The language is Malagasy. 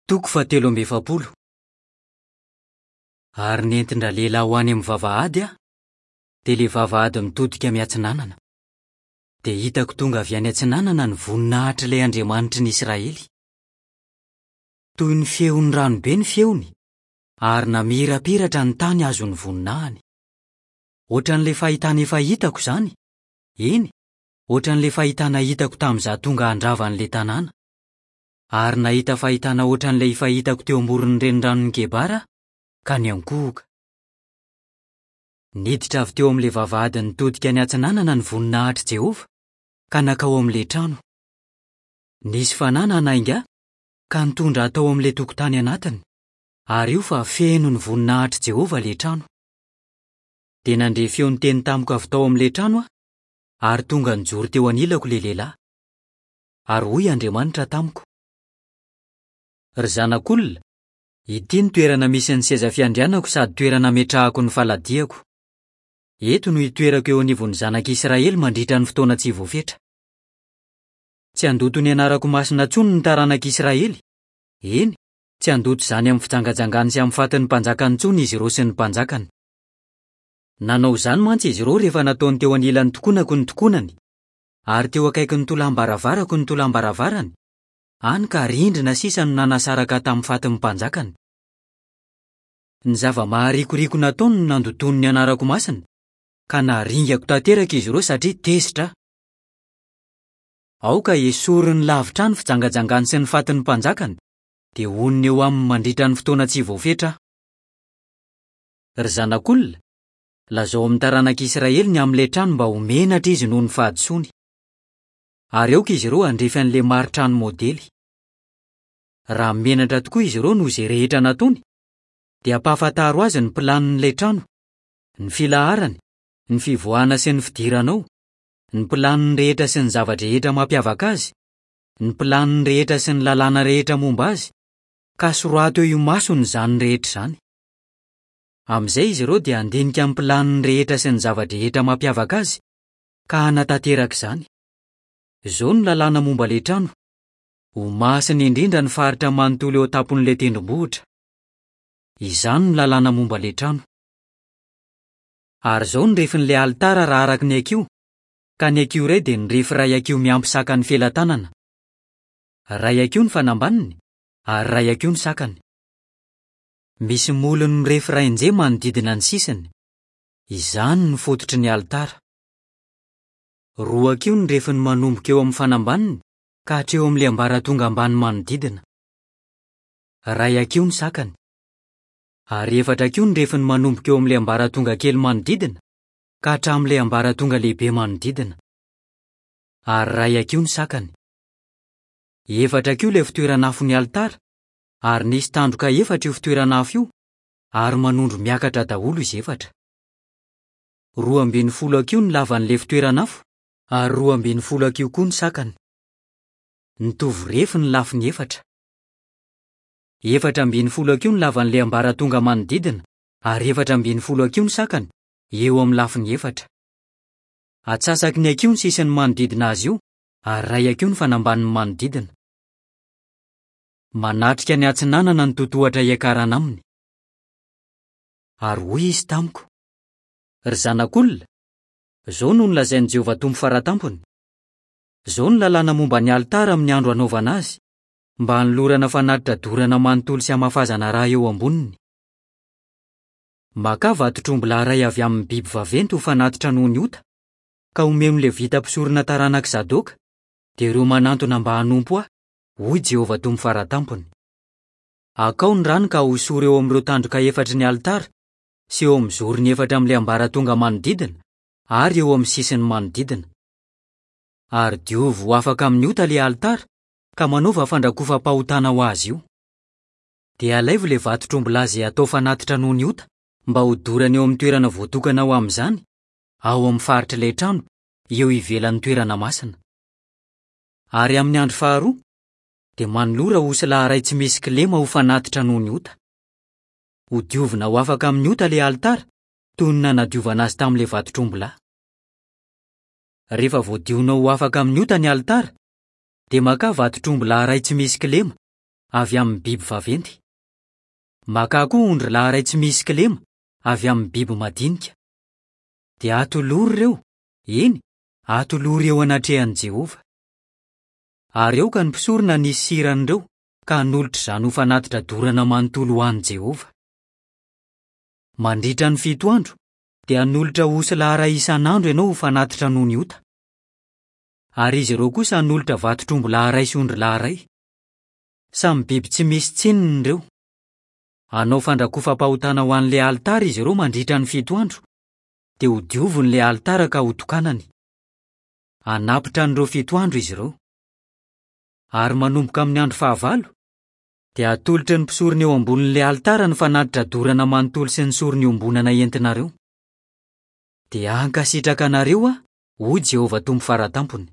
Toko fahatelo amby efapolo. Ary nentin-dralehilahy ho any amin'ny vavahady aho, dia ilay vavahady mitodika miatsinanana. Dia hitako tonga avy any atsinanana ny voninahitr'ilay Andriamanitry ny Israely. Toy ny feon'ny ranobe ny feony, ary namirapiratra ny tany azon'ny voninahiny. Hoatran'ilay fahitana efa hitako izany, eny, hoatran'ilay fahitana hitako tamin'izaho tonga handrava an'ilay tanàna. Ary nahita fahitana hoatran'ilay efa hitako teo amoron'ny reniranon'i Kebara aho, ka niankohoka. Niditra avy teo amin'ilay vavahady nitodika niatsinanana ny voninahitr'i Jehovah, ka nankao amin'ilay trano. Nisy fanahy nanainga ahy, ka nitondra ahy tao amin'ilay tokotany anatiny, ary io fa feno ny voninahitr'i Jehovah ilay trano. Dia nandre feo niteny tamiko avy tao amin'ilay trano aho, ary tonga nijoro teo anilako ilay lehilahy. Ary hoy Andriamanitra tamiko, Ry zanak'olona, ity no toerana misy ny seza fiandrianako sady toerana ametrahako ny faladiako. Eto no hitoerako eo anivon'ny zanak'Israely mandritra ny fotoana tsy voafetra. Tsy handoto ny anarako masina intsony ny taranak'Israely, eny, tsy handoto izany amin'ny fijangajangany sy amin'ny fatin'ny mpanjakany intsony izy ireo sy ny mpanjakany. Nanao izany mantsy izy ireo rehefa nataony teo anilan'ny tokonako ny tokonany, ary teo akaikin'ny tolam-baravarako ny tolam-baravarany, hany ka rindrina sisa no nanasaraka ahy tamin'ny fatin'ny mpanjakany. Ny zava-maharikoriko nataony no nandotoany ny anarako masina, ka naringako tanteraka izy ireo satria tezitra aho. Aoka hesoriny lavitra ahy ny fijangajangany sy ny fatin'ny mpanjakany, dia honina eo aminy mandritra ny fotoana tsy voafetra aho. Ry zanak'olona, Lazao amin'ny taranak'Israely ny amin'ilay trano mba ho menatra izy noho ny fahadisoany. Ary aoka izy ireo handrefy an'ilay mari-trano modely. Raha menatra tokoa izy ireo noho izay rehetra nataony, dia ampahafantaro azy ny planin'ilay trano, ny filaharany, ny fivoahana sy ny fidirana ao, ny planiny rehetra sy ny zava-drehetra mampiavaka azy, ny planiny rehetra sy ny lalàna rehetra momba azy, ka sorato eo imasony izany rehetra izany. Amin'izay izy ireo dia handinika ny planiny rehetra sy ny zava-drehetra mampiavaka azy, ka hanatanteraka izany. Izao no lalàna momba ilay trano, Ho masina indrindra ny faritra manontolo eo an-tampon'ilay tendrombohitra. Izany no lalàna momba ilay trano. Ary izao no refin'ilay alitara raha araka ny hakiho, ka ny hakiho iray dia ny refy iray hakiho miampy sakan'ny felatanana. Iray hakiho ny fanambaniny, ary iray hakiho ny sakany. Misy molony mirefy rainje manodidina ny sisiny. Izany no fototry ny alitara. Roa hakiho ny refiny manomboka eo amin'ny fanambaniny ka hatreo amin'ilay ambaratonga ambany manodidina. Iray hakiho ny sakany. Ary efatra hakiho ny refiny manomboka eo amin'ilay ambaratonga kely manodidina ka hatramin'ilay ambaratonga lehibe manodidina. Ary iray hakiho ny sakany. Efatra hakiho ilay fitoeran'afon'ny alitara ary nisy tandroka efatra io fitoeran'afo io, ary manondro miakatra daholo izy efatra. 12 hakiho ny lavan'ilay fitoeran'afo, ary 12 hakiho koa ny sakany. Nitovy refy ny lafiny efatra. 14 hakiho ny lavan'ilay ambaratonga manodidina, ary 14 hakiho ny sakany, eo amin'ny lafiny efatra. Atsasaky ny hakiho ny sisiny manodidina azy io, ary iray hakiho ny fanambaniny manodidina. Manatrika ny atsinanana ny totohatra hiakarana aminy. Ary hoy izy tamiko, Ry zanak'olona, izao no nolazain'i Jehovah Tompo Fara Tampony, 'Izao no lalàna momba ny alitara amin'ny andro hanaovana azy, mba hanolorana fanatitra dorana manontolo sy hamafazana ra eo amboniny. Makà vatotr'ombilahy iray avy amin'ny biby vaventy ho fanatitra noho ny ota, ka omeo ny Levita mpisorona taranak'i Zadoka, dia ireo manantona mba hanompo ahy, hoy Jehovah Tompo Fara Tampony. Akao ny rany ka hosory eo amin'ireo tandroka efatry ny alitara, sy eo amin'ny zorony efatra amin'ilay ambaratonga manodidina, ary eo amin'ny sisiny manodidina. Ary diovy ho afaka amin'ny ota ilay alitara, ka manaova fandrakofam-pahotana ho azy io. Dia alaivo ilay vatotr'ombilahy izay hatao fanatitra noho ny ota, mba hodorana eo amin'ny toerana voatokana ho amin'izany, ao amin'ny faritr'ilay trano, eo ivelan'ny toerana masina. Ary amin'ny andro faharoa, dia manolora osilahy iray tsy misy kilema ho fanatitra noho ny ota. Hodiovina ho afaka amin'ny ota ilay alitara, toy ny nanadiovana azy tamin'ilay vatotr'ombilahy. Rehefa voadionao ho afaka amin'ny ota ny alitara, dia makà vatotr'ombilahy iray tsy misy kilema, avy amin'ny biby vaventy. Makà koa ondrilahy iray tsy misy kilema, avy amin'ny biby madinika. Dia atolory ireo, eny, atolory eo anatrehan'i Jehovah. Ary aoka ny mpisorona hanisy sira an'ireo, ka hanolotra izany ho fanatitra dorana manontolo ho an'i Jehovah. Mandritra ny fito andro, dia hanolotra osilahy iray isan'andro ianao ho fanatitra noho ny ota. Ary izy ireo kosa hanolotra vatotr'ombilahy iray sy ondrilahy iray. Samy biby tsy misy tsininy ireo. Hanao fandrakofam-pahotana ho an'ilay alitara izy ireo mandritra ny fito andro, dia hodioviny ilay alitara ka hotokanany. Hanapitra an'ireo fito andro izy ireo. Ary manomboka amin'ny andro fahavalo, dia hatolotry ny mpisorona eo ambonin'ilay alitara ny fanatitra dorana manontolo sy ny sorona iombonana entinareo. Dia hankasitraka anareo aho, hoy Jehovah Tompo Fara Tampony.